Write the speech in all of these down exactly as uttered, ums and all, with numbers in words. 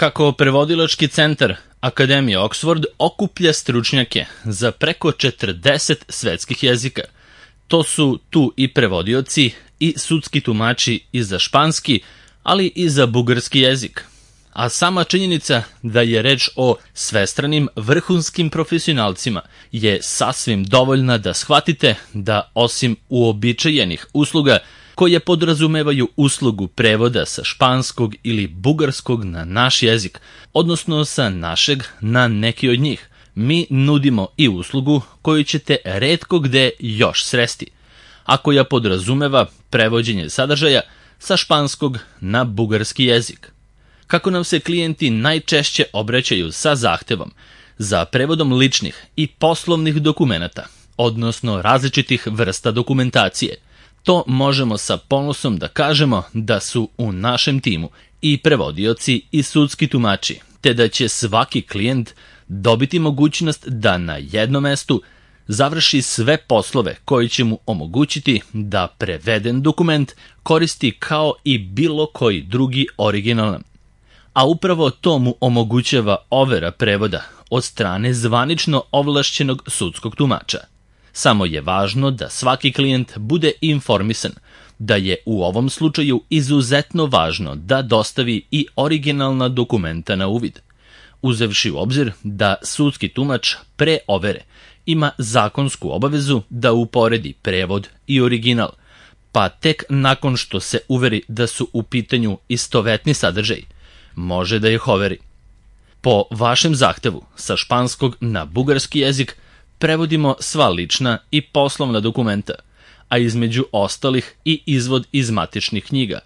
Kako prevodilački centar Akademije Oxford okuplja stručnjake za preko četrdeset svetskih jezika. To su tu i prevodioci i sudski tumači i za španski, ali i za bugarski jezik. A sama činjenica da je reč o svestranim vrhunskim profesionalcima je sasvim dovoljna da shvatite da osim uobičajenih usluga koje podrazumevaju uslugu prevoda sa španskog ili bugarskog na naš jezik, odnosno sa našeg na neki od njih, mi nudimo i uslugu koju ćete retko gde još sresti, a koja podrazumeva prevođenje sadržaja sa španskog na bugarski jezik. Kako nam se klijenti najčešće obraćaju sa zahtevom za prevodom ličnih i poslovnih dokumenata, odnosno različitih vrsta dokumentacije, to možemo sa ponosom da kažemo da su u našem timu i prevodioci i sudski tumači, te da će svaki klijent dobiti mogućnost da na jednom mestu završi sve poslove koji će mu omogućiti da preveden dokument koristi kao i bilo koji drugi originalan. A upravo to mu omogućava overa prevoda od strane zvanično ovlašćenog sudskog tumača. Samo je važno da svaki klijent bude informisan da je u ovom slučaju izuzetno važno da dostavi i originalna dokumenta na uvid, uzevši u obzir da sudski tumač pre overe ima zakonsku obavezu da uporedi prevod i original, pa tek nakon što se uveri da su u pitanju istovetni sadržaj, može da ih overi. Po vašem zahtevu sa španskog na bugarski jezik prevodimo sva lična i poslovna dokumenta, a između ostalih i izvod iz matičnih knjiga,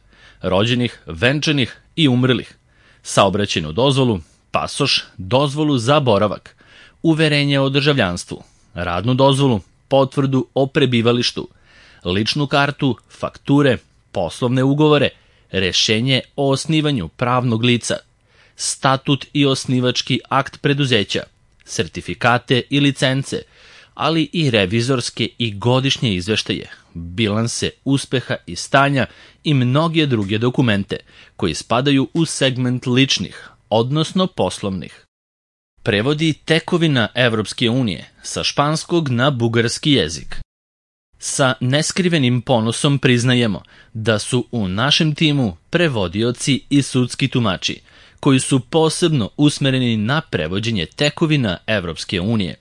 rođenih, venčanih i umrlih, saobraćajnu dozvolu, pasoš, dozvolu za boravak, uverenje o državljanstvu, radnu dozvolu, potvrdu o prebivalištu, ličnu kartu, fakture, poslovne ugovore, rešenje o osnivanju pravnog lica, statut i osnivački akt preduzeća, sertifikate i licence, ali i revizorske i godišnje izveštaje, bilanse uspeha i stanja i mnoge druge dokumente koji spadaju u segment ličnih, odnosno poslovnih. Prevodi tekovina Evropske unije sa španskog na bugarski jezik. Sa neskrivenim ponosom priznajemo da su u našem timu prevodioci i sudski tumači koji su posebno usmereni na prevođenje tekovina Evropske unije.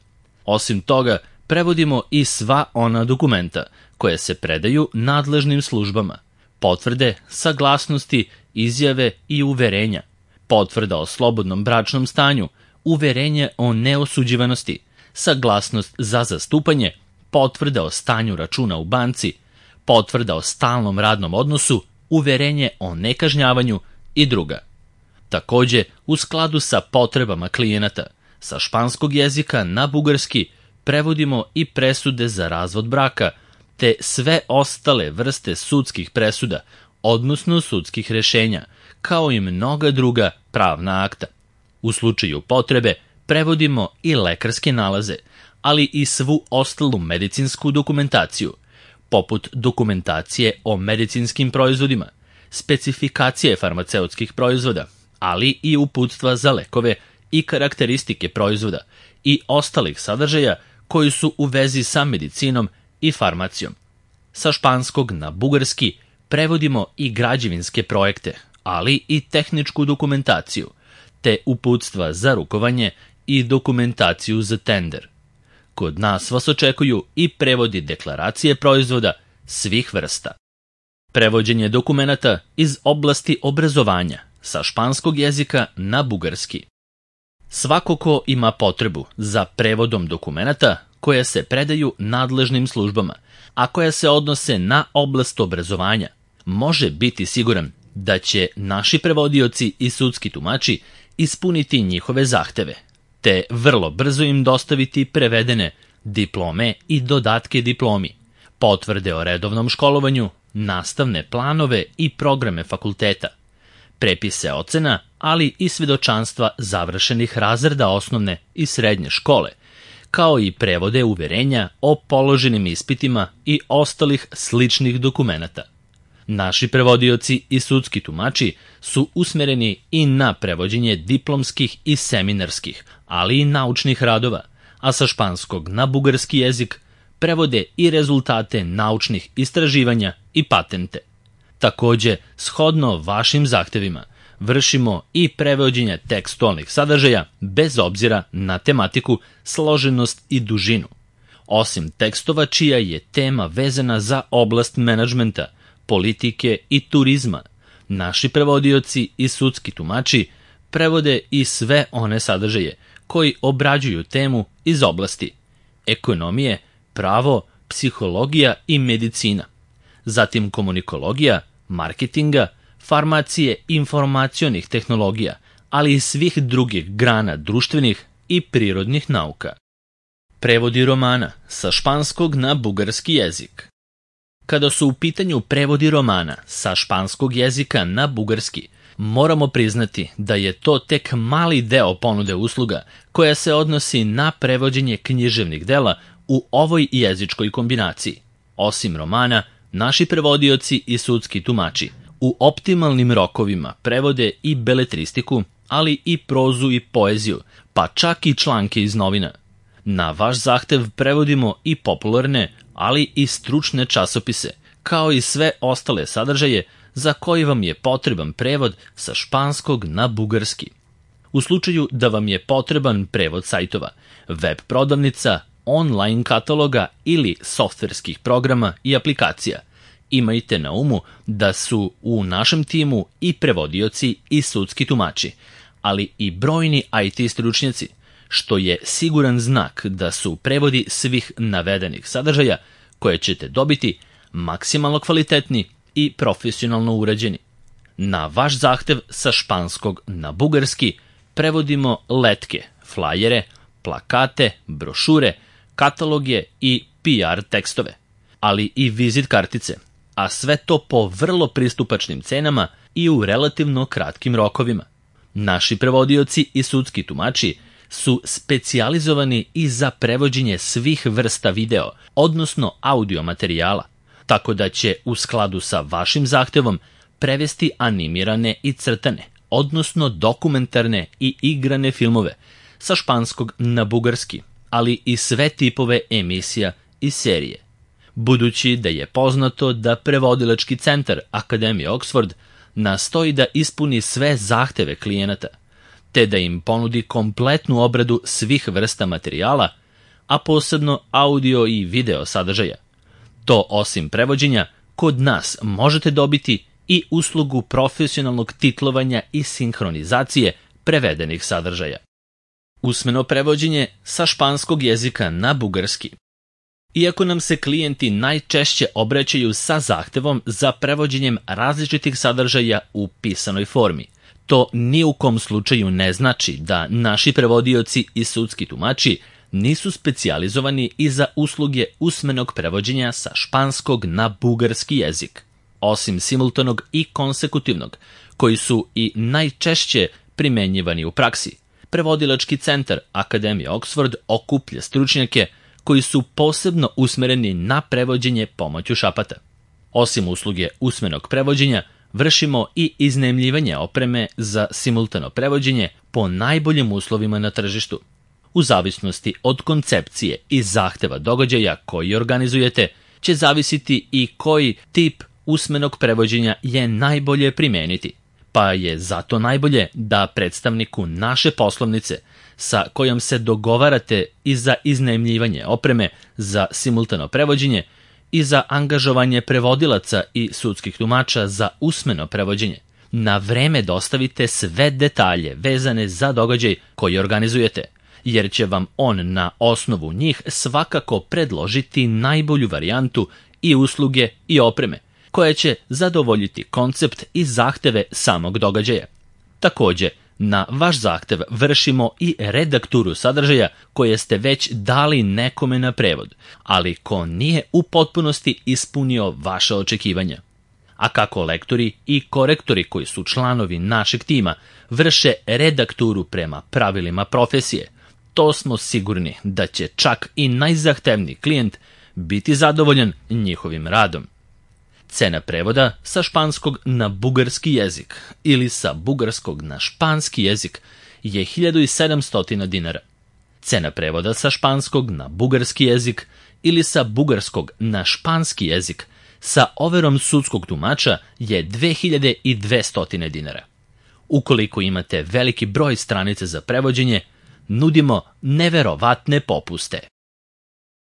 Osim toga, prevodimo i sva ona dokumenta koje se predaju nadležnim službama, potvrde, saglasnosti, izjave i uverenja, potvrda o slobodnom bračnom stanju, uverenje o neosuđivanosti, saglasnost za zastupanje, potvrda o stanju računa u banci, potvrda o stalnom radnom odnosu, uverenje o nekažnjavanju i druga. Takođe, u skladu sa potrebama klijenata, sa španskog jezika na bugarski prevodimo i presude za razvod braka, te sve ostale vrste sudskih presuda, odnosno sudskih rešenja, kao i mnoga druga pravna akta. U slučaju potrebe prevodimo i lekarske nalaze, ali i svu ostalu medicinsku dokumentaciju, poput dokumentacije o medicinskim proizvodima, specifikacije farmaceutskih proizvoda, ali i uputstva za lekove i karakteristike proizvoda i ostalih sadržaja koji su u vezi sa medicinom i farmacijom. Sa španskog na bugarski prevodimo i građevinske projekte, ali i tehničku dokumentaciju, te uputstva za rukovanje i dokumentaciju za tender. Kod nas vas očekuju i prevodi deklaracije proizvoda svih vrsta. Prevođenje dokumenata iz oblasti obrazovanja sa španskog jezika na bugarski. Svako ko ima potrebu za prevodom dokumenata koje se predaju nadležnim službama, a koja se odnose na oblast obrazovanja, može biti siguran da će naši prevodioci i sudski tumači ispuniti njihove zahteve, te vrlo brzo im dostaviti prevedene diplome i dodatke diplomi, potvrde o redovnom školovanju, nastavne planove i programe fakulteta, prepise ocena, ali i svedočanstva završenih razreda osnovne i srednje škole, kao i prevode uverenja o položenim ispitima i ostalih sličnih dokumenata. Naši prevodioci i sudski tumači su usmereni i na prevođenje diplomskih i seminarskih, ali i naučnih radova, a sa španskog na bugarski jezik prevode i rezultate naučnih istraživanja i patente. Takođe, shodno vašim zahtevima, vršimo i prevođenje tekstualnih sadržaja bez obzira na tematiku, složenost i dužinu. Osim tekstova čija je tema vezana za oblast menadžmenta, politike i turizma, naši prevodioci i sudski tumači prevode i sve one sadržaje koji obrađuju temu iz oblasti ekonomije, pravo, psihologija i medicina, zatim komunikologija, marketinga, farmacije, informacionih tehnologija, ali i svih drugih grana društvenih i prirodnih nauka. Prevodi romana sa španskog na bugarski jezik. Kada su u pitanju prevodi romana sa španskog jezika na bugarski, moramo priznati da je to tek mali deo ponude usluga koja se odnosi na prevođenje književnih dela u ovoj jezičkoj kombinaciji. Osim romana, naši prevodioci i sudski tumači u optimalnim rokovima prevode i beletristiku, ali i prozu i poeziju, pa čak i članke iz novina. Na vaš zahtev prevodimo i popularne, ali i stručne časopise, kao i sve ostale sadržaje za koji vam je potreban prevod sa španskog na bugarski. U slučaju da vam je potreban prevod sajtova, web prodavnica, online kataloga ili softverskih programa i aplikacija, imajte na umu da su u našem timu i prevodioci i sudski tumači, ali i brojni I T stručnjaci, što je siguran znak da su prevodi svih navedenih sadržaja koje ćete dobiti maksimalno kvalitetni i profesionalno urađeni. Na vaš zahtev sa španskog na bugarski prevodimo letke, flajere, plakate, brošure, kataloge i P R tekstove, ali i vizit kartice, a sve to po vrlo pristupačnim cenama i u relativno kratkim rokovima. Naši prevodioci i sudski tumači su specijalizovani i za prevođenje svih vrsta video, odnosno audio materijala, tako da će u skladu sa vašim zahtevom prevesti animirane i crtane, odnosno dokumentarne i igrane filmove sa španskog na bugarski, ali i sve tipove emisija i serije. Budući da je poznato da prevodilački centar Akademije Oxford nastoji da ispuni sve zahteve klijenata, te da im ponudi kompletnu obradu svih vrsta materijala, a posebno audio i video sadržaja. To osim prevođenja, kod nas možete dobiti i uslugu profesionalnog titlovanja i sinhronizacije prevedenih sadržaja. Usmeno prevođenje sa španskog jezika na bugarski. Iako nam se klijenti najčešće obraćaju sa zahtevom za prevođenjem različitih sadržaja u pisanoj formi, to ni u kom slučaju ne znači da naši prevodioci i sudski tumači nisu specijalizovani i za usluge usmenog prevođenja sa španskog na bugarski jezik. Osim simultanog i konsekutivnog, koji su i najčešće primenjivani u praksi, prevodilački centar Akademije Oxford okuplja stručnjake koji su posebno usmereni na prevođenje pomoću šapata. Osim usluge usmenog prevođenja, vršimo i iznajmljivanje opreme za simultano prevođenje po najboljim uslovima na tržištu. U zavisnosti od koncepcije i zahteva događaja koji organizujete, će zavisiti i koji tip usmenog prevođenja je najbolje primeniti, pa je zato najbolje da predstavniku naše poslovnice sa kojom se dogovarate i za iznajmljivanje opreme za simultano prevođenje i za angažovanje prevodilaca i sudskih tumača za usmeno prevođenje, na vreme dostavite sve detalje vezane za događaj koji organizujete, jer će vam on na osnovu njih svakako predložiti najbolju varijantu i usluge i opreme, koja će zadovoljiti koncept i zahteve samog događaja. Takođe, na vaš zahtev vršimo i redakturu sadržaja koje ste već dali nekome na prevod, ali ko nije u potpunosti ispunio vaše očekivanja. A kako lektori i korektori koji su članovi našeg tima vrše redakturu prema pravilima profesije, to smo sigurni da će čak i najzahtevniji klijent biti zadovoljan njihovim radom. Cena prevoda sa španskog na bugarski jezik ili sa bugarskog na španski jezik je hiljadu sedamsto dinara. Cena prevoda sa španskog na bugarski jezik ili sa bugarskog na španski jezik sa overom sudskog tumača je dve hiljade dvesta dinara. Ukoliko imate veliki broj stranica za prevođenje, nudimo neverovatne popuste.